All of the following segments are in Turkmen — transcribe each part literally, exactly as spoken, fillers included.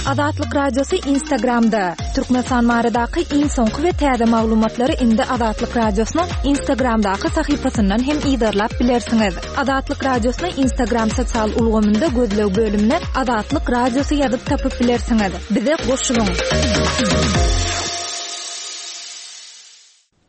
Azatlyk Radiosy Instagramda. Türkmenistan baradaky iň soňky we täze maglumatlary indi Azatlyk Radiosynyň Instagramdaky sahypasyndan hem yzarlap bilersiňiz. Azatlyk Radiosyny Instagram sosial ulgamynda gözleg bölümine Azatlyk Radiosy ýazyp tapyp bilersiňiz. Bize goşulyň.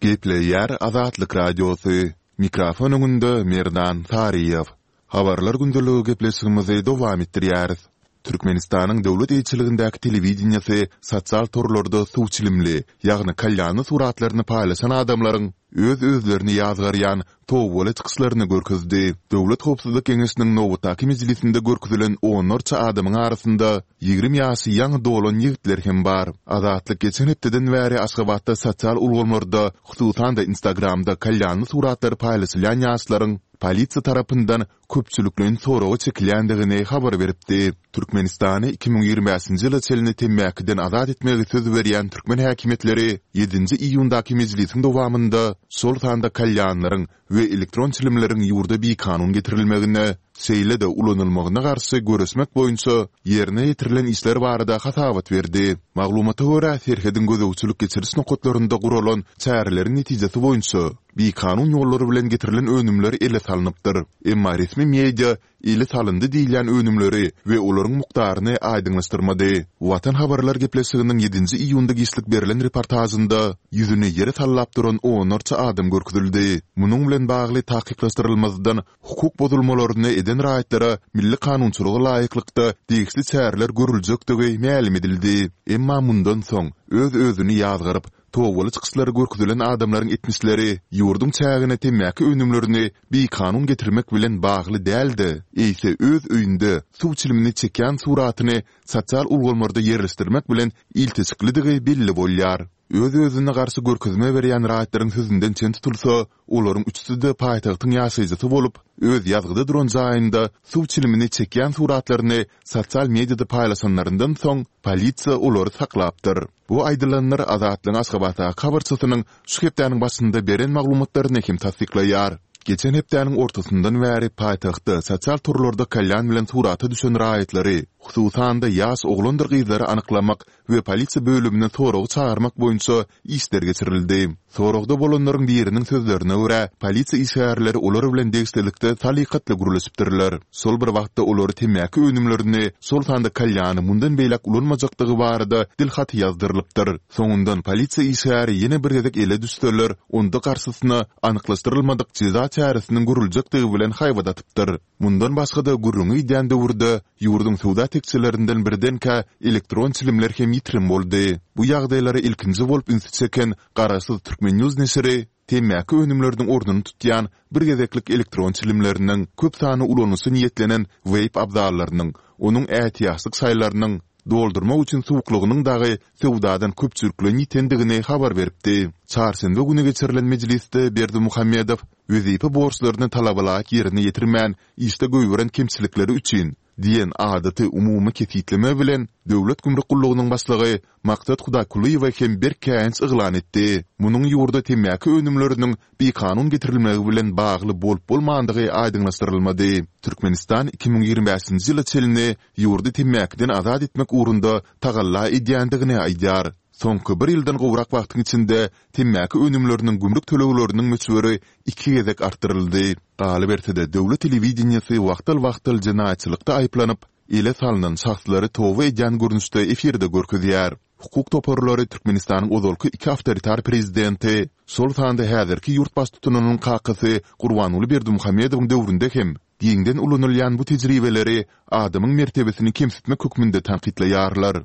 Gepleýär Azatlyk Radiosy. Mikrofon öňünde Merdan Saryýew. Habarlar gündeligi gepleşigimizi dowam etdirýäris. Türkmenistanyň döwlet eýeçiligindäki telewideniýesi sosial torlarda suw çilimli, ýagny kalýanly suratlaryny paýlaşan adamlaryň öz-özlerini ýazgarýan tobaly çykyşlaryny görkezdi. Döwlet howpsuzlyk geňeşiniň nobatdaky mejlisinde görkezilen onlarça adamyň arasynda ýigrimi ýaşy ýaňy dolan ýigitler hem bar. Azatlyk geçen hepdeden bäri Aşgabatda sosial ulgamlarda, hususan-da Instagramda kalýanly suratlary paýlaşylýan ýaşlaryň polisiýa tarapyndan köpçülikleýin soraga çekilýändigini habar beripdi. Türkmenistany iki müň ýigrimi bäşinji ýyla çenli temmäkiden azat etmegi söz berýän türkmen häkimiýetleri ýedinji iýundaky mejlisiň dowamynda şol sanda kalýanlaryň we elektron çilimleriň ýurda bikanun getirilmegine, şeýle-de ulanylmagyna garşy göreşmek boýunça ýerine ýetirilen işler barada hasabat berdi. Maglumata görä, serhediň gözegçilik-geçiriş nokatlarynda guralan çäreleriň netijesi boýunça bikanun ýollar bilen getirilen önümler ele salnypdyr. Emma resmi media ele salyndy diýilýän önümleri we olaryň mukdaryny aýdyňlaşdyrmady. Watan habarlar gepleşiginiň ýedinji iýunda giçlik berlen reportažynda ýüzüni ýere sallap duran onlarça adam görkezildi. Munuň bilen bagly takyklaşdyrylmazdan hukuk bozulmalaryny eden raýatlara milli kanunçylyga laýyklykda degişli çäreler görüljekdigi mälim edildi. Emma mundan soň öz-özüni ýazgaryp, tobaly çykyşlary görkezilen adamlaryň etmişleri ýurduň çägine temmäki önümlerini bikanun getirmek bilen bagly däl-de, eýse öz öýünde suw çilimini çekýän suratyny sosial ulgamlarda ýerleşdirmek bilen ilteşiklidigi belli bolýar. Öz-özüne garşy görkezme berýän raýatlaryň sözünden çen tutulsa, olaryň üçüsi-de paýtagtyň ýaşaýjysy bolup, öz ýazgyda duran jaýynda suw çilimini çekýän suratlaryny sosial mediada paýlaşanlaryndan soň, polisiýa olary saklapdyr. Bu aýdylanlar Azatlygyň Aşgabatdaky habarçysynyň şu hepdäniň başynda beren maglumatlaryny hem tassyklaýar. Geçen hepdäniň ortasyndan bäri paýtagtda sosial torlarda kalýan bilen surata düşen raýatlary, hususan-da ýaş oglandyr gyzlary anyklamak we polisiýa bölümine soraga çagyrmak boýunça işler geçirildi. Soragda bolanlaryň biriniň sözlerine görä, polisiýa işgärleri olar bilen degişlilikde salykatly gürleşipdirler. Şol bir wagtda olary temmäki önümlerini, şol sanda kalýany mundan beýläk ulanmajakdygy barada dil haty ýazdyrylypdyr. Soňundan polisiýa işgäri ýene bir gezek ele düşseler, onda garşysyna anyklaşdyrylmadyk jeza çäresiniň görüljekdigi bilen haýbat atypdyr. Mundan başga-da gürrüňi gidýän döwürde ýurduň söwda tekjelerinden birdenkä elektron çilimler hem ýitirim boldy. Bu ýagdaýlara ilkinji bolup ünsi çeken Garaşsyz Türkmen News neşiri temmäki önümleriniň ornuny tutýan bir gezeklik elektron çilimleriniň, köp sanly ulanyşa niýetlenen weýp abzallarynyň, onuň ätiýaçlyk şaýlarynyň, doldurmak üçin suwuklygynyň dagy söwdadan köpçülikleýin ýitendigini habar beripdi. Çarşenbe güni geçirilen mejlisde Berdimuhamedow wezipe borçlaryny talabalaýyk ýerine ýetirmän, işde goýberen kemçilikleri üçin diýen adaty umumy kesgitleme bilen Döwlet gümrük gullugynyň başlygy Maksat Hudaýkulyýewe hem berk käýinç yglan etdi. Munuň ýurda temmäki önümleriniň bikanun getirilmegi bilen bagly bolup-bolmandygy aýdyňlaşdyrylmady. Türkmenistan iki müň ýigrimi bäşinji ýyla çenli ýurdy temmäkiden azat etmek ugrunda tagalla edýändigini aýdýar. Soňky bir ýyldan gowrak wagtyň içinde temmäki önümleriniň gümrük tölegleriniň möçberi iki gezek artdyryldy. Galyberse-de, döwlet telewideniýesi wagtal-wagtal jenaýatçylykda aýyplanyp, ele salnan şahslary toba edýän görnüşde efirde görkezýär. Hukuk toparlary Türkmenistanyň ozalky iki awtoritar prezidenti, şol sanda häzirki ýurt baştutanynyň kakasy Gurbanguly Berdimuhamedowyň döwründe hem giňden ulanylýan bu tejribeleri adamyň mertebesini kemsitmek hökmünde tankytlaýarlar.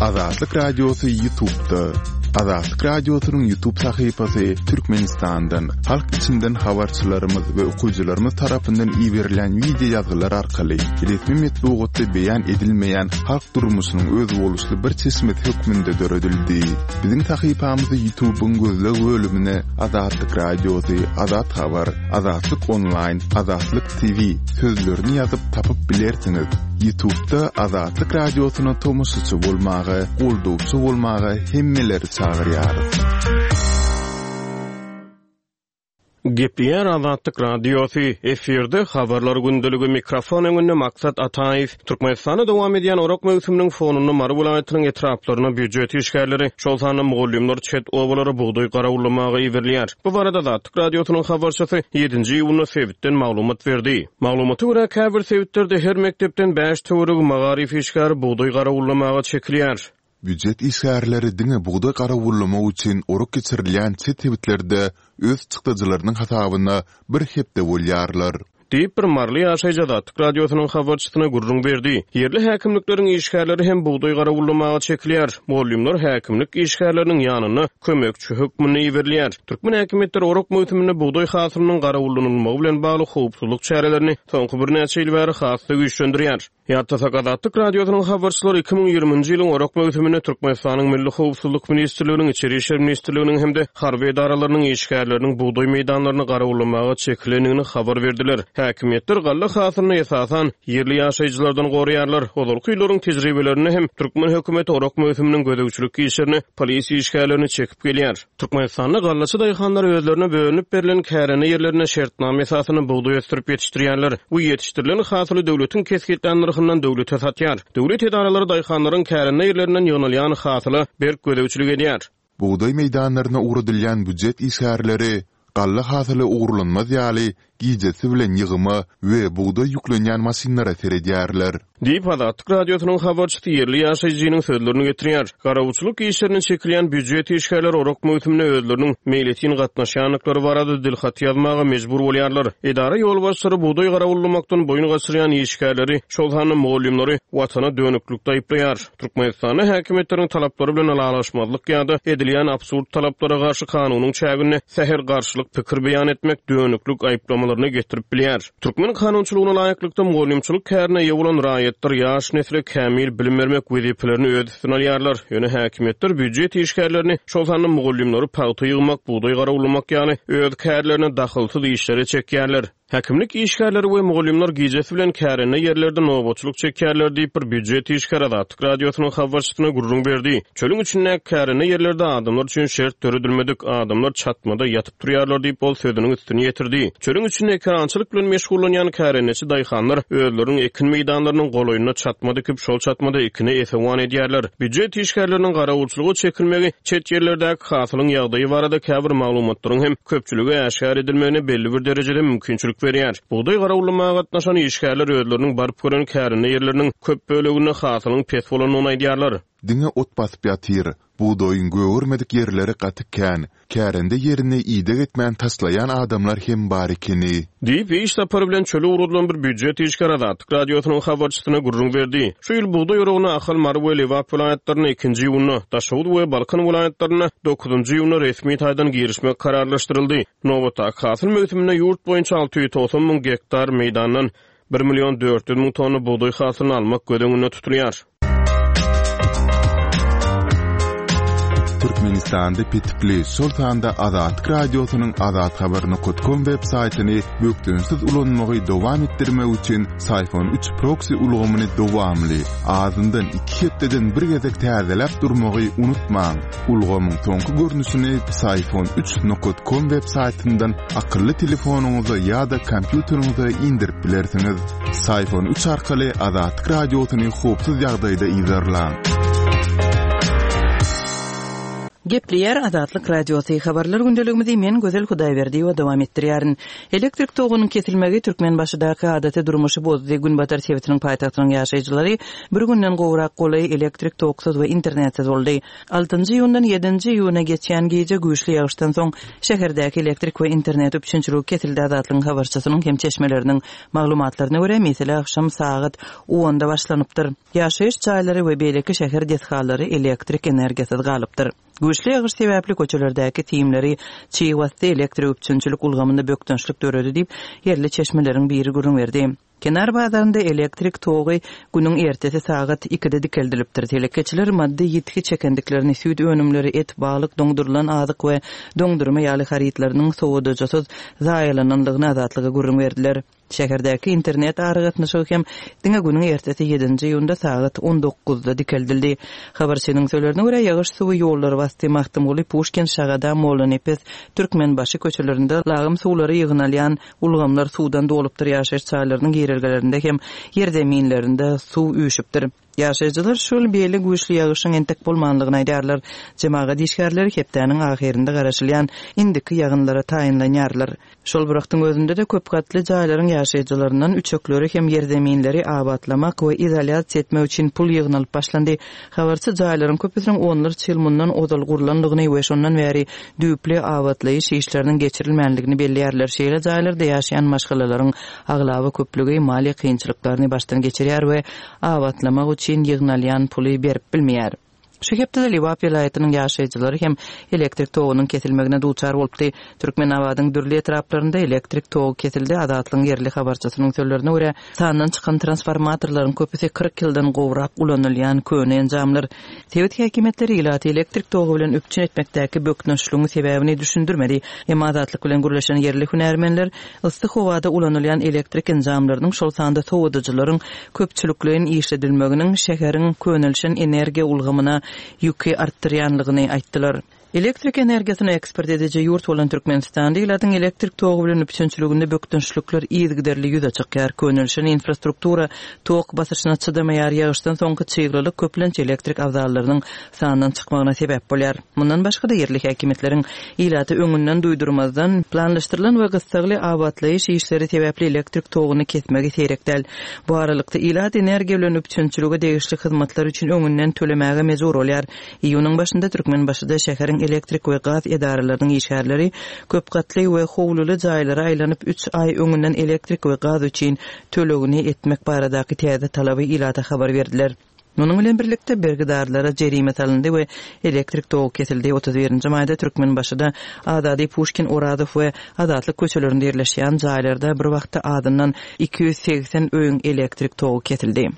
Azatlyk Radiosy YouTube'da. Azatlyk Radiosynyň YouTube sahypasy Türkmenistandan, halk içinden habarçylarymyz we okyjylarymyz tarapyndan iberilýän wideo ýazgylar arkaly resmi metbugatda beýan edilmeýän halk durmuşynyň özboluşly bir çeşmesi hökmünde döredildi. Biziň sahypamyzy YouTube'yň gözleg bölümine Azatlyk Radiosy, Azat Habar, Azatlyk Onlaýn, Azatlyk TV sözlerini ýazyp tapyp bilersiňiz. Ýutubda Azatlyk Radiosyna tomaşaçy bolmaga, goldawçy bolmaga hemmeleri çagyrýarys. Gepleýär Azatlyk Radiosy, efirde Habarlar gündeligi, mikrofon öňünde Maksat Ataýew. Türkmenistanda dowam edýän orak möwsüminiň fonunda Mary welaýatynyň etraplaryna býujet işgärleri, şol sanda mugallymlar çet obalara bugdaý garawullamaga iberilýär. Bu barada Azatlyk Radiosynyň habarçysy ýedinji iýunda sebitden maglumat berdi. Maglumata görä, käbir sebitlerde her mekdepden bäş töweregi magaryf işgäri bugdaý garawullamaga çekilýär. Býujet işgärleri diňe bugdaý garawullamak üçin orak geçirilýän çet sebitlerde öz çykdajylarynyň hasabyna bir hepde bolýarlar. Diýip, bir maryly ýaşaýjy Azatlyk Radiosynyň habarçysyna gürrüň berdi. Ýerli häkimlikleriň işgärleri hem bugdaý garawullamaga çekilýär. Mugallymlar häkimlik işgärleriniň ýanyna kömekçi hökmünde iberilýär. Türkmen häkimiýetleri orak möwsüminde bugdaý hasylynyň garawullanylmagy bilen bagly howpsuzlyk çärelerini soňky birnäçe ýyl bäri has-da güýçlendirýär. Ýatlasak, Azatlyk Radiosynyň habarçylary iki müň ýigriminji ýylyň orak möwsüminde Türkmenistanyň Milli howpsuzlyk ministrliginiň, Içeri işler ministrliginiň hem-de harby edaralarynyň işgärleriniň bugdaý meýdanlaryny garawullamaga çekilendigini habar berdiler. Häkimiýetler galla hasylyny esasan ýerli ýaşaýjylardan goraýarlar. Ozalky ýyllaryň tejribelerinde hem türkmen hökümeti orak möwsüminiň gözegçilik işlerine polisiýa işgärlerini çekip gelýär. Türkmenistanda gallaçy daýhanlar özlerine bölünip berlen kärende ýerlerinde şertnama esasynda bugdaý ösdürip ýetişdirýärler we ýetişdirilen hasyly döwletiň kesgitlän nyrhyndan döwlete satýar. Döwlet edaralary daýhanlaryň kärende ýerlerinden ýygnalýan hasyla berk gözegçilik edýär. Bugdaý meýdanlaryna ugradylýan býujet işgärleri galla hasyly ogurlanmaz ýaly gijesi bilen ýygyma we bugdaý ýüklenýän maşynlara seredýärler. Diýip, Azatlyk Radiosynyň habarçysy ýerli ýaşaýjynyň sözlerini getirýär. Garawulçylyk işlerine çekilýän býujet işgärleri orak möwsümine özleriniň meýletin gatnaşýandyklary barada dilhaty ýazmaga mejbur bolýarlar. Edara ýolbaşçylary bugdaý garawullamakdan boýun gaçyrýan işgärleri, şol sanda mugallymlary watana dönüklikde aýyplaýar. Türkmenistanda häkimiýetleriň talaplary bilen ylalaşmazlyk ýa-da edilýän absurd talaplara garşy kanunyň çäginde sähel garşylyk pikir beýan etmek dönüklik aýyplamalaryna getirip bilýär. Türkmen kanunçylygyna laýyklykda mugallymçylyk kärine eýe bolan raýatlar ýaş nesle kämil bilim bermek wezipelerini öz üstüne alýarlar. Ýöne häkimiýetler býujet işgärlerini, şol sanda mugallymlary pagta ýygmak, bugdaý garawullamak ýaly öz kärlerine dahylsyz işlere çekýärler. Häkimlik işgärleri we mugallymlar gijesi bilen kärende ýerlerde nobatçylyk çekýärler diýip, bir býujet işgäri Azatlyk Radiosynyň habarçysyna gürrüň berdi. Çölüň içindäki kärende ýerlerde adamlar üçin şert döredilmedik, adamlar çatmada ýatyp turýarlar diýip, ol sözüniň üstüni ýetirdi. Çölüň içinde ekerançylyk bilen meşgullanýan kärendeçi daýhanlar özleriniň ekin meýdanlarynyň golaýynda çatma dikip, şol çatmada ekine esewan edýärler. Býujet işgärleriniň garawulçylyga çekilmegi çet ýerlerdäki hasylyň ýagdaýy barada käbir maglumatlaryň hem köpçülige äşgär edilmegine belli bir derejede mümkinçilik berýär. Bugdaý garawullamaga gatnaşan işgärler özleriniň baryp gören kärende ýerleriniň köp böleginde hasylyň pes bolandygyny aýdýarlar. Diňe ot basyp ýatyr. Bugdaýyň gögermedik ýerleri gaty kän. Kärende ýerini ideg etmän taşlaýan adamlar hem bar ekeni. Diýip, iş sapary bilen çöle ugradylan bir býujet işgäri Azatlyk Radiosynyň habarçysyna gürrüň berdi. Şu ýyl bugdaý oragyna Ahal, Mary we Lebap welaýatlarynda ikinji iýunda, Daşoguz we Balkan welaýatlarynda dokuzynjy iýunda resmi taýdan girişmek kararlaşdyryldy. Nobatdaky hasyl möwsüminde ýurt boýunça alty ýüz togsan müň gektar meýdandan bir million dört ýüz müň tonna bugdaý hasylyny almak göz öňünde tutulýar. Türkmenistanda petikli, şol sanda Azatlyk Radiosynyň azathabar nokat kom web saýtyny bökdençsiz ulanmagy dowam etdirmek üçin Syfon üç proksi ulgamyny dowamly, azyndan iki hepdeden bir gezek täzeläp durmagy unutmaň. Ulgamyň soňky görnüşini Syfon üç nokat kom web saýtyndan akylly telefonyňyza ýa-da kompýuteriňize indirip bilersiňiz. Syfon üç arkaly Azatlyk Radiosyny howpsuz ýagdaýda yzarlaň. Gepleýär Azatlyk Radiosy. Habarlar gündeligimizi men Gözel Hudaýberdiýewa dowam etdirýärin. Elektrik togunyň kesilmegi Türkmenbaşydaky adaty durmuşy bozdy. Günbatar sebitiniň paýtagtynyň ýaşaýjylary bir günden gowrak golaý elektrik toksuz we internetsiz boldy. Altynjy iýundan ýedinji iýuna geçýän gije güýçli ýagyşdan soň şäherdäki elektrik we internet üpjünçiligi kesildi. Azatlygyň habarçysynyň hem çeşmeleriniň maglumatlaryna görä, mesele agşam sagat onda başlanypdyr. Ýaşaýyş jaýlary we beýleki şäher desgalary elektrik energiýasyz galypdyr. Güýçli ýagyş sebäpli köçelerdäki simleri çig basdy, elektrik üpjünçilik ulgamynda bökdençlik döredi diýip, ýerli çeşmeleriň biri gürrüň berdi. Kenar bazarynda elektrik togy günüň ertesi sagat ikide dikeldilipdir. Telekeçiler maddy ýitgi çekendiklerini, süýt önümleri, et, balyk, doňdurylan azyk we doňdurma ýaly harytlarynyň sowadyjysyz zaýalanandygyny Azatlyga gürrüň berdiler. Şäherdäki internet aragatnaşygy hem diňe günüň ertesi ýedinji iýunda sagat on dokuzda dikeldildi. Habarçynyň sözlerine görä, ýagyş suwy ýollary basdy. Magtymguly, Puşkin, Şagada, Mollanepes, Türkmenbaşy köçelerinde lagym suwlary ýygnalýan ulgamlar suwdan dolupdyr. Ýaşaýyş jaýlarynyň girelgelerinde hem ýerzeminlerinde suw üýşüpdir. Ýaşaýjylar şol beýle güýçli ýagyşyň entek bolmanlygyny aýdýarlar. Jemagat işgärleri hepdäniň ahyrynda garaşylýan indiki ýagynlara taýynlanýarlar. Şol bir wagtyň özünde-de köp gatly jaýlaryň ýaşaýjylaryndan üçekleri hem ýerzeminleri abatlamak we izolýasiýa etmek üçin pul ýygnalyp başlandy. Habarçy jaýlaryň köpüsiniň onlarça ýyl mundan ozal gurlandygyny we şondan bäri düýpli abatlaýyş işleriniň geçirilmänligini belleýärler. Şeýle jaýlarda ýaşaýan maşgalalaryň aglaba köplügi maliýe kynçylyklaryny başdan geçirýär we abatlamak üçin ýygnalýan puly berip bilmeýär. Şu hepdede Lebap welaýatynyň ýaşaýjylary hem elektrik togunyň kesilmegine duçar bolupdy. Türkmenabadyň dürli etraplarynda elektrik togy kesildi. Azatlygyň ýerli habarçysynyň sözlerine görä, sandan çykan transformatorlaryň köpüsi kyrk ýyldan gowrak ulanylýan köne enjamlar. Sebit häkimiýetleri ilaty elektrik togy bilen üpjün etmekdäki bökdençligiň sebäbini düşündirmedi. Emma Azatlyk bilen gürleşen ýerli hünärmenler yssy howada ulanylýan elektrik enjamlarynyň, şol sanda sowadyjylaryň köpçülikleýin işledilmeginiň şäheriň könelişen energiýa ulgamyna ýüki artdyrýanlygyny aýtdylar. Elektrik energiýasyny eksport ediji ýurt bolan Türkmenistanda ilatyň elektrik togy bilen üpjünçiliginde bökdençlikler yzygiderli ýüze çykýar. Könelişen infrastruktura tok basyşyna çydamaýar, ýagyşdan soňky çyglylyk köplenç elektrik abzallarynyň sandan çykmagyna sebäp bolýar. Mundan başga-da ýerli häkimiýetleriň ilaty öňünden duýdurmazdan planlaşdyrylan we gyssagly abatlaýyş işleri sebäpli elektrik toguny kesmegi seýrek däl. Bu aralykda ilat energiýa bilen üpjünçilige degişli hyzmatlar üçin öňünden tölemäge mejbur bolýar. Iýunyň başynda Türkmenbaşyda şäheriň elektrik we gaz edaralarynyň işgärleri köp gatly we howluly jaýlara aýlanyp üç aý öňünden elektrik we gaz üçin tölegini etmek baradaky täze talaby ilata habar berdiler. Munuň bilen birlikde bergidarlara jerime salyndy we elektrik togy kesildi. Otuz birinji maýda Türkmenbaşyda Azady, Puşkin, Orazow we Azatlyk köçelerinde ýerleşýän jaýlarda bir wagtda azyndan iki ýüz segsen öýüň elektrik togy kesildi.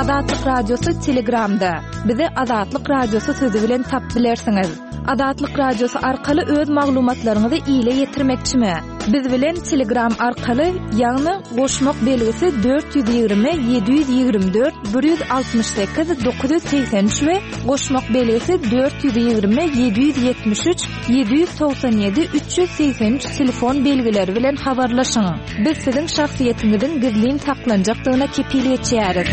Azatlyk Radiosy Telegramda. Bizi Azatlyk Radiosy sözi bilen tap bilersiňiz. Azatlyk Radiosy arkaly öz maglumatlaryňyzy ile ýetirmekçimi? Biz bilen Telegram arkaly, ýagny goşmak belgisi dört ýüz ýigrimi, ýedi ýüz ýigrimi dört, bir ýüz altmyş sekiz, dokuz ýüz segsen üç we goşmak belgisi dört ýüz ýigrimi, ýedi ýüz ýetmiş üç, ýedi ýüz togsan ýedi, üç ýüz segsen üç telefon belgileri bilen habarlaşyň. Biz siziň şahsyýetiňiziň gizlin saklanjakdygyna kepil geçýäris.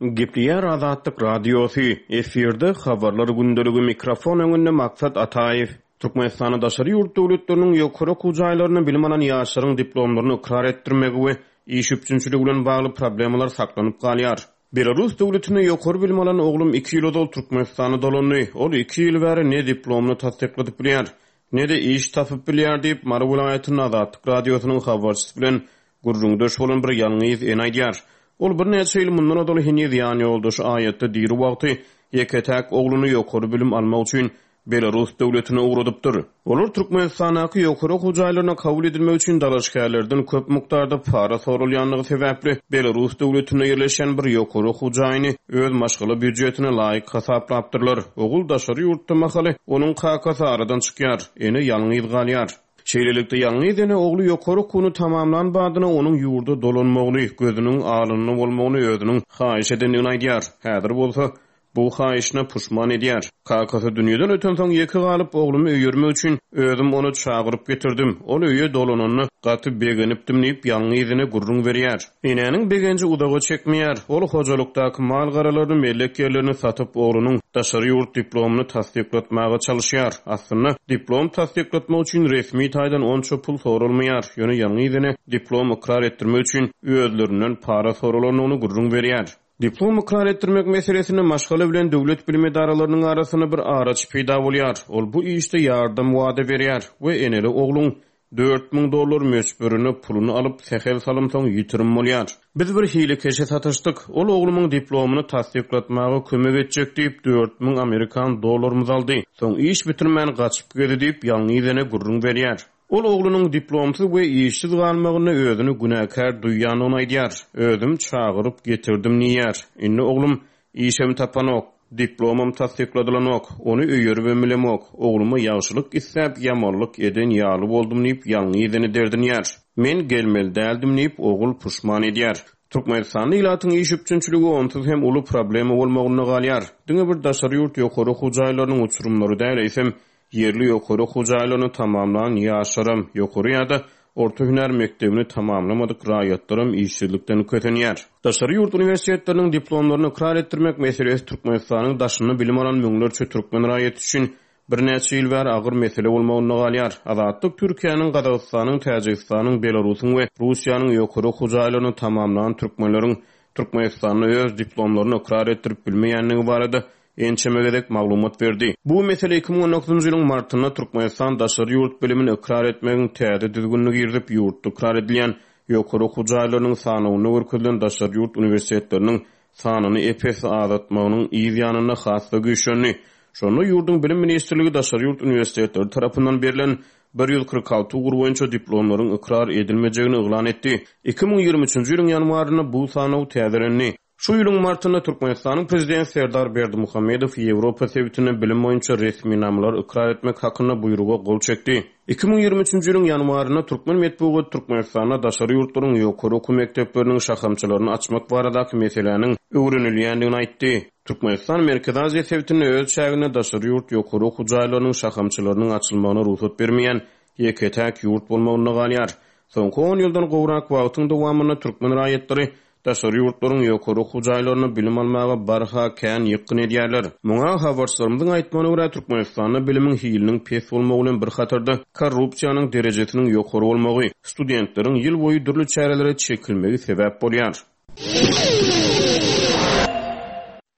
Gepleýär Azatlyk Radiosy, efirde habarlar gündeligi, mikrofon öňünde Maksat Ataýew. Türkmenistanda daşary ýurt döwletleriniň ýokary okuw jaýlarynda bilim alan ýaşlaryň diplomlaryny ykrar etdirmegi we iş üpjünçiligi bilen bagly problemalar saklanyp galýar. Belarus döwletinde ýokary bilim alan oglum iki ýyl ozal Türkmenistana dolandy. Ol iki ýyl bäri ne diplomyny tassykladyp bilýär, ne-de iş tapyp bilýär diýip, Mary welaýatynda Azatlyk Radiosynyň habarçysy bilen gürrüňdeş bolan bir ýalňyz ene aýdýar. Ol birnäçe ýyl mundan ozal heniz ýan ýoldaşy aýatda diri wagty ýeke-täk ogluny ýokary bilim almak üçin Belarus döwletine ugradypdyr. Olar Türkmenistandaky ýokary okuw jaýlaryna kabul edilmek üçin dalaşgärlerden köp mukdarda para sorulýanlygy sebäpli Belarus döwletinde ýerleşen bir ýokary okuw jaýyny öz maşgala býujetine laýyk hasaplapdyrlar. Ogul daşary ýurtda mahaly onuň kakasy aradan çykýar, ene ýalňyz galýar. Şeýlelikde ýalňyz ene ogly ýokary okuwyny tamamlan badyna onuň ýurda dolanmagyny, gözüniň alynda bolmagyny özüniň haýyş edendigini aýdýar. Häzir bolsa bu haýyşyna puşman edýär. Kakasy dünýeden öten soň ýeke galyp oglumy öýermek üçin özüm ony çagyryp getirdim. Ol öýe dolananda gaty begenipdim diýip ýalňyz ene gürrüň berýär. Enäniň begenji uzaga çekmeýär. Ol hojalykdaky mal garalaryny, mellek ýerlerini satyp oglunyň daşary ýurt diplomyny tassyklatmaga çalışýar. Aslynda diplom tassyklatmak üçin resmi taýdan onça pul sorulmaýar. Ýöne ýalňyz ene diplom ykrar etdirmek üçin özlerinden para sorulandygyny gürrüň berýär. Diplom ykrar etdirmek meselesinde maşgala bilen döwlet bilim edaralarynyň arasynda bir araç peýda bolýar. Ol bu işde ýardam wada berýär we eneli ogluň dört müň dollar möçberine puluny alyp sähel salym soň ýitirim bolýar. Biz bir hilekeşe satyşdyk. Ol oglumyň diplomyny tassyklatmaga kömek etjek diýip dört müň amerikan dollarymyzy aldy. Soň iş bitirmän gaçyp geldi diýip ýalňyz ene gürrüň berýär. Ol oglunyň diplomsyz we işsiz galmagynda özüni günäkär duýýandygyny aýdýar. Özüm çagyryp getirdim diýýär. Indi oglum işem tapanok, diplomam tassykladylanok, ony öýeribem bilemok. Ogluma ýagşylyk isläp, ýamanlyk eden ýaly boldum diýip, ýalňyz derdinýär. Men gelmeli däldim diýip, ogul puşman edýär. Türkmenistanda ilatyň iş üpjünçiligi onsuz hem uly problema bolmagynda galýar. Diňe bir daşary ýurt ýokary okuw jaýlarynyň uçurymlary däl, eýsem ýerli ýokary okuw jaýlaryny tamamlan ýaşlaram, ýokary ýa-da orta hünär mekdebini tamamlamadyk raýatlaram işsizlikden kösenýär. Daşary ýurt uniwersitetleriniň diplomlaryny ykrar etdirmek meselesi Türkmenistanyň daşynda bilim alan müňlerçe türkmen raýaty üçin birnäçe ýyl bäri agyr mesele bolmagynda galýar. Azatlyk Türkiýäniň, Gazagystanyň, Täjigistanyň, Belarusyň we Russiýanyň ýokary okuw jaýlaryny tamamlan türkmenleriň Türkmenistanda öz diplomlaryny ykrar etdirip bilmeýändigi barada ençeme gezek maglumat berdi. Bu mesele iki müň on dokuzynjy ýylyň martynda Türkmenistan daşary ýurt bilimini ykrar etmegiň täze düzgünini girizip, ýurtda ykrar edilýän ýokary okuw jaýlarynyň sanawynda görkezilen daşary ýurt uniwersitetleriniň sanyny epes azaltmagynyň yz ýanynda has-da güýçlendi. Şonda ýurduň bilim ministrligi daşary ýurt uniwersitetleri tarapyndan berlen bir ýüz kyrk alty ugur boýunça diplomlaryň ykrar edilmejegini yglan etdi. Iki müň ýigrimi üçünji ýylyň ýanwarynda bu sanaw täzelendi. Şu ýylyň martynda Türkmenistanyň prezidenti Serdar Berdimuhamedow Ýewropa sebitinde bilim boýunça resminamalar ykrar etmek hakynda buýruga gol çekdi. Iki müň ýigrimi üçünji ýylyň ýanwarynda Türkmen metbugat Türkmenistanda daşary ýurtlaryň ýokary okuw mekdepleriniň şahamçalaryny açmak baradaky meseläniň öwrenilýändigini aýtdy. Türkmenistan Merkezi Aziýa sebitinde öz çäginde daşary ýurt ýokary okuw jaýlarynyň şahamçalarynyň açylmagyna rugsat bermeýän ýeke-täk ýurt bolmagynda galýar. Soňky on ýyldan gowrak wagtyň dowamynda türkmen raýatlary daşary ýurtlaryň ýokary okuw jaýlaryna bilim almaga barha kän ýykgyn edýärler. Muňa habarçylarymyzyň aýtmagyna görä Türkmenistanda bilimiň hiliniň pes bolmagy bilen bir hatarda korrupsiýanyň derejesiniň ýokary bolmagy, studentleriň ýyl boýy dürli çärelere çekilmegi sebäp bolýar.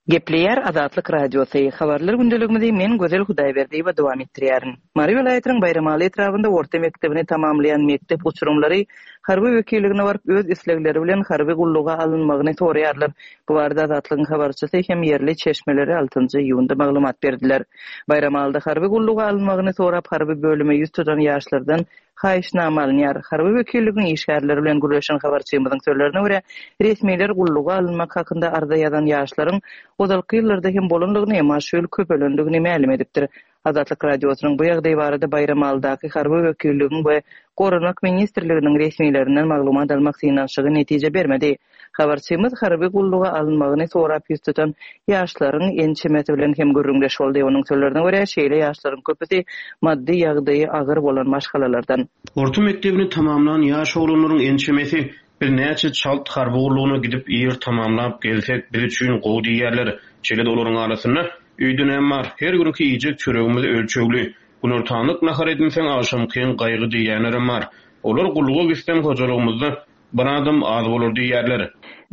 Gepleýär Azatlyk Radiosy. Habarlar gündeligimizi men Gözel Hudaýberdiýewa dowam etdirýärin. Mary welaýatynyň Baýramaly etrabynda orta mekdebini tamamlaýan mekdep uçurymlary harby wekilligine baryp öz islegleri bilen harby gulluga alynmagyny soraýarlar. Bu barada Azatlygyň habarçysy hem ýerli çeşmeleri altynjy iýunda maglumat berdiler. Baýramalyda harby gulluga alynmagyny sorap harby bölüme ýüz tutan ýaşlardan haýyşnama alynýar. Harby wekilligiň işgärleri bilen gürleşen habarçymyzyň sözlerine görä resmiler gulluga alynmak hakynda arza ýazan ýaşlaryň ozalky ýyllarda hem bolandygyny, emma şu ýyl köpelendigini mälim edipdir. Azatlyk Radiosynyň bu ýagdaý barada Baýramalydaky harby wekilligiň we Goranmak ministrliginiň resmilerinden maglumat almak synanyşygy netije bermedi. Habarçymyz harby gulluga alynmagyny sorap ýüz tutan ýaşlaryň ençemesi bilen hem gürrüňdeş boldy. Onuň sözlerine görä şeýle ýaşlaryň köpüsi maddy ýagdaýy agyr bolan maşgalalardan. Orta mekdebini tamamlan ýaş oglanlaryň ençemesi biz näçe çalt harby gullugyna gidip ýer tamamlap gelsek biz üçin gowy diýerler. Şeýle-de olaryň arasynda öýde näme bar? Her günki iýjek çöregimiz ölçegli. Günortanlyk nahar edinseň agşamkyň gaýgy diýýänlerem bar. Olar gulluga gitseň hojalygymyzda bir adam az bolar diýerler.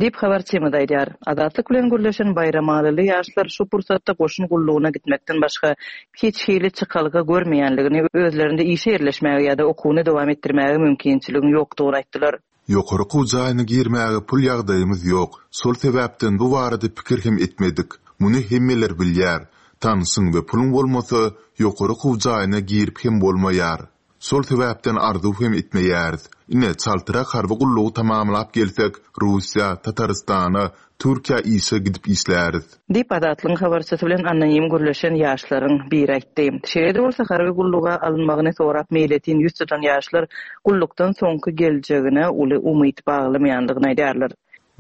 Diýip habarçymyz aýdýar. Azatlyk bilen gürleşen Baýramalyly ýaşlar şu pursatda goşun gullugyna gitmekden başga hiç hili çykalga görmeýänligini, özlerinde işe ýerleşmäge ýa-da okuwyny dowam etdirmäge mümkinçiligiň ýokdugyny aýtdylar. Ýokary okuw jaýyna girmäge pul ýagdaýymyz ýok. Şol sebäpden bu barada pikir hem etmedik. Muny hemmeler bilýär. Tanşyň we puluň bolmasa ýokary okuw jaýyna girip hem bolmaýar. Şol sebäpden arzuw hem etmeýäris. Ine, çaltyrak harby gullugy tamamlap gelsek, Russiýa, Tatarystana, Türkiýä işe gidip işläris. Diýip Azatlygyň habarçysy bilen anonim gürleşen ýaşlaryň biri aýtdy. Şeýle-de bolsa harby gulluga alynmagyny sorap meýletin ýüz tutan ýaşlar gullukdan soňky geljegine uly umyt baglamaýandygyny aýdýarlar.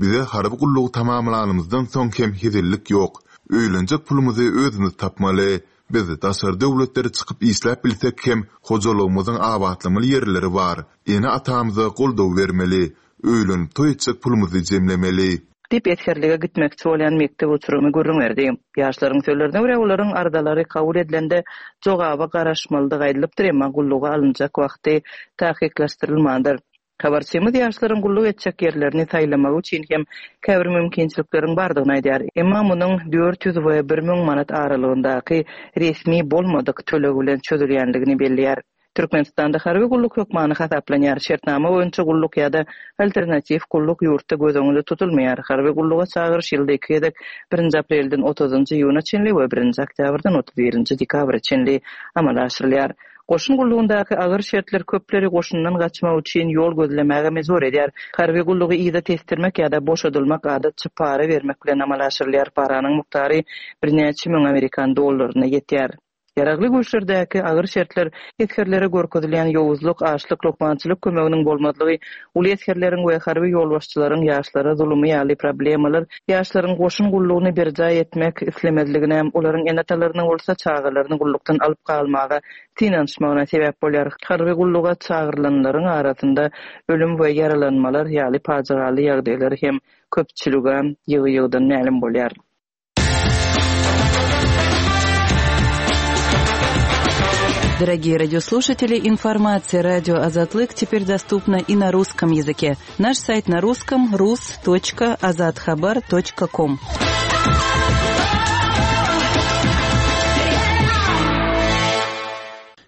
Bize harby gullugy tamamlanymyzdan soň hem hezillik ýok. Öýlenjek pulumyzy özümiz tapmaly. Biz daşary döwletlere çykyp işläp bilsek hem hojalygymyzyň abatlamaly ýerleri bar. Ene atamyza goldaw bermeli. Öýlenip toý etjek pulumyzy jemlemeli. Diýip esgerlige gitmekçi bolýan mekdep uçurymy gürrüň berdi. Ýaşlaryň sözlerine görä olaryň arzalary kabul edilende jogaba garaşmalydygy aýdylypdyr, emma gulluga alynjak wagty tahkyklaşdyrylmandyr. Habarçymyz ýaşlaryň gulluk etjek ýerlerini saýlamagy üçin hem käbir mümkinçilikleriň bardygyny aýdýar. Emma munuň dört ýüz we bir müň manat aralygyndaky resmi bolmadyk töleg bilen çözülýändigini belleýär. Türkmenistanda harby gulluk hökmany hasaplanýar. Şertnama boýunça gulluk ýa-da alternatiw gulluk ýurtda göz öňünde tutulmaýar. Harby gulluga çagyryş ýylda iki gezek birinji aprelden otuzynjy iýuna çenli we birinji oktýabrdan otuz birinji dekabra çenli amala aşyrylýar. Goşun gullugyndaky agyr şertler köpleri goşundan gaçmak üçin ýol gözlemäge mejbur edýär. Harby gullugy yza tesdirmek ýa-da boşadylmak adatça para bermek bilen amala aşyrylýar. Paranyň mukdary birnäçe müň amerikan dollaryna ýetýär. Ýaragly güýçlerdäki agyr şertler esgerlere görkezilýän ýowuzlyk, açlyk, lukmançylyk kömeginiň bolmazlygy, uly esgerleriň we harby ýolbaşçylaryň ýaşlara zulumy ýaly problemalar ýaşlaryň goşun gullugyny berjaý etmek islemezligine, olaryň ene-atalarynyň bolsa çagalaryny gullukdan alyp galmaga synanyşmagyna sebäp bolýar. Harby gulluga çagyrylanlaryň arasynda ölüm we ýaralanmalar ýaly pajygaly ýagdaýlar hem köpçülige ýygy-ýygydan mälim bolýar. Дорогие радиослушатели, информация радио Азатлык теперь доступна и на русском языке. Наш сайт на русском rus.azathabar.com.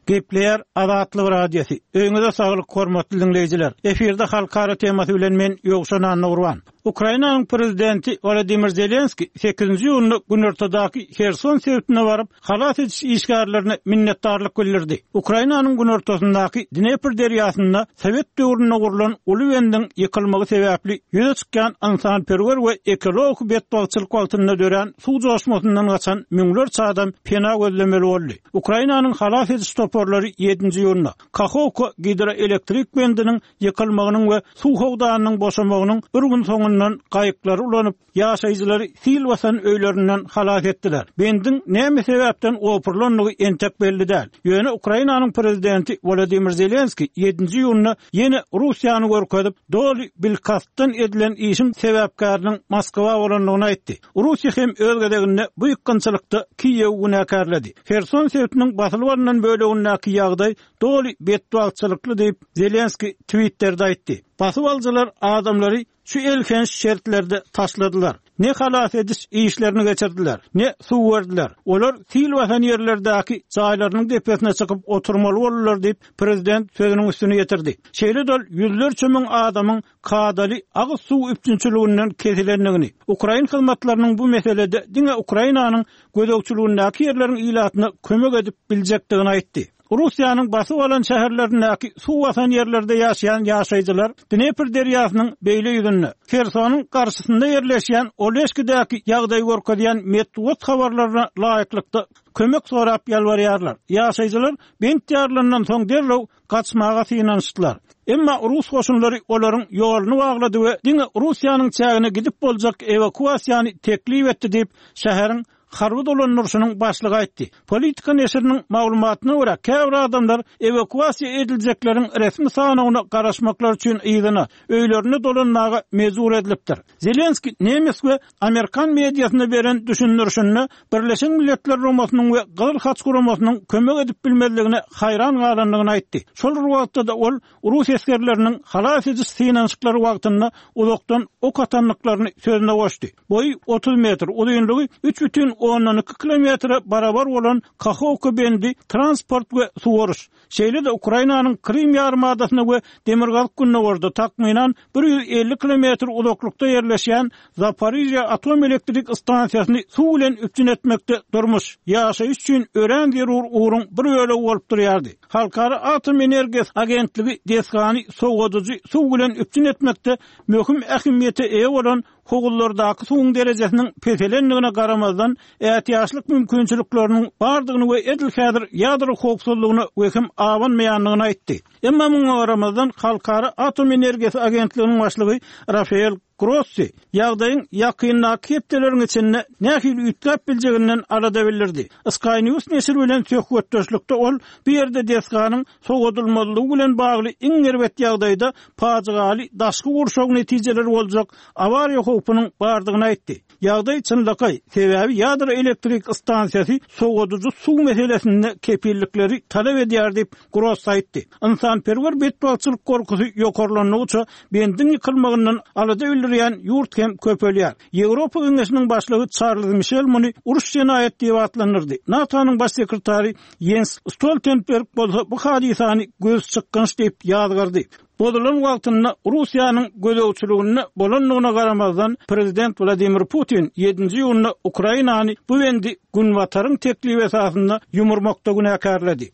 Gepleýär Azatlyk Radiosy. Öýüňize saglyk hormatly dinleýjiler. Efirde halkara temasy bilen men Ýowşan Annagurban. Ukrainanyň prezidenti Wladimir Zelenski sekizinji iýunda Günortadaky Herson sebitine baryp, halas ediş işgärlerine minnetdarlyk bildirdi. Ukrainanyň günortasyndaky Dnepr derýasynda Sowet döwründe gurlan uly bendiň ýykylmagy sebäpli ýüze çykýan ynsanperwer we ekologik betbagtçylyk wagtynda dörän suw joşmasyndan gaçan müňlerçe adam pena gözlemeli boldy. Ukrainanyň halas ediş toparlary ýedinji iýunda Kahovka gidroelektrik bendiniň ýykylmagynyň we suw howdanynyň boşamagynyň bir gün soňundan gaýyklary ulanyp, ýaşaýjylary sil basan öýlerinden halas etdiler. Bendiň näme sebäpden opurylandygy entek belli däl. Ýöne Ukrainanyň prezidenti Wladimir Zelenski ýedinji iýunda ýene Russiýany görkezip, doly bilkastdan edilen işiň sebäpkäriniň Moskwa bolandygyny aýtdy. Russiýa hem öz gezeginde bu ýykgynçylykda Kiýew günäkärledi. Herson sebitiniň basylyp alynan bölegindäki ýagdaý doly betbagtçylykly diýip Zelenski Twitterde aýtdy. Basyp alyjylar adamlary şu elhenç şertlerde taşladylar. Ne halas ediş işlerini geçirdiler, ne suw berdiler. Olar sil basan ýerlerdäki jaýlarynyň depesine çykyp oturmaly boldular diýip prezident sözüniň üstüne getirdi. Şeýle dol ýüzlerçe müň adamyň kadaly agyz suw üpjünçiliginden kesilendigini, Ukrain hyzmatlarynyň bu meselede diňe Ukrainanyň gözegçiligindäki ýerleriň ilatyna kömek edip biljekdigini aýtdy. Russiýanyň basyp alan şäherlerindäki suw basan ýerlerde ýaşaýan ýaşaýjylar Dnepr derýasynyň beýle ýüzünde Hersonyň garşysynda ýerleşýän Oleşkidäki ýagdaýy görkezýän metbugat habarlaryna laýyklykda kömek sorap ýalbarýarlar. Ýaşaýjylar bent ýarlaryndan soň derrew gaçmaga synanyşdylar. Emma Rus goşunlary olaryň ýoluny baglady we diňe Russiýanyň çägine gidip boljak ewakuasiýany teklip etdi diýip şäheriň harby dolandyryşynyň başlygy aýtdy. Politika neşiriniň maglumatyna görä, käbir adamlar ewakuasiýa ediljekleriň resmi sanawyna garaşmaklar üçin yzyna, öýlerine dolanmaga mejbur edilipdir. Zelenski nemes we Amerikan mediasyna beren düşündirişinde Birleşen Milletler Guramasynyň we Gyzyl Haç Guramasynyň kömek edip bilmezligine haýran galandygyny aýtdy. Şol bir wagtda-da ol Rus esgerleriniň halas ediş synanyşyklary wagtynda uzakdan ok atandyklaryny sözüne goşdy. Boýy otuz metr, uzynlygy üç bütin ondan iki kilometre barabar bolan Kahovka bendi transport we suwaryş, şeýle-de Ukrainanyň Krim ýarymadasyna we Demirgazyk Gündogarda takmynan bir ýüz elli kilometr uzaklykda ýerleşýän Zaporijýa atom elektrik stansiýasyny suw bilen üpjün etmekde durmuş, ýaşaýyş üçin örän zerur ugruň bir bölegi bolup durýardy. Halkara atom energiýasy agentligi desgany sowadyjy suw bilen üpjün etmekde möhüm ähmiýete eýe bolan howuzlardaky suwuň derejesiniň peselendigine garamazdan ätiýaçlyk mümkinçilikleriniň bardygyny we edil häzir ýadro howpsuzlygyna wehim abanmaýandygyny aýtdy. Emma muňa garamazdan Halkara atom energiýasy agentliginiň başlygy Rafael Grossi ýagdaýyň ýakyndaky hepdeleriň içinde nähili üýtgäp biljeginden alada bildirdi. Sky News neşiri bilen söhbetdeşlikde ol bu ýerde desganyň sowadylmazlygy bilen bagly iň erbet ýagdaýda pajygaly daşky gurşaw netijeleri boljak awariýa howpunyň bardygyny aýtdy. Ýagdaý çynlakaý, sebäbi ýadro elektrik stansiýasy sowadyjy suw meselesinde kepillikleri talap edýär diýip Grossi aýtdy. Ynsanperwer betbagtçylyk gorkusy ýokarlandygyça bendiň ýykylmagyndan alada bildirýän ýurt hem köpelýär. Ýewropa Geňeşiniň başlygy Charles Michel muny uruş jenaýat diýip atlandyrdy. NATO-nyň baş sekretary Jens Stoltenberg bolsa bu hadysany göz çykgynç diýip ýazgardy. Bozulan wagtynda Russiýanyň gözegçiliginde bolandygyna garamazdan prezident Wladimir Putin ýedinji iýunda Ukrainany bu bendi Günbataryň teklibi esasynda ýumurmakda günäkärledi.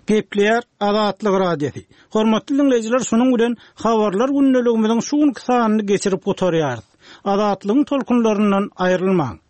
Gepleýär Azatlyk Radiosy. Hormatly dinleýjiler, şunuň bilen habarlar gündeligimiziň şu günki sanyny geçirip gutarýarys. Azatlygyň tolkunlaryndan aýrylmaň.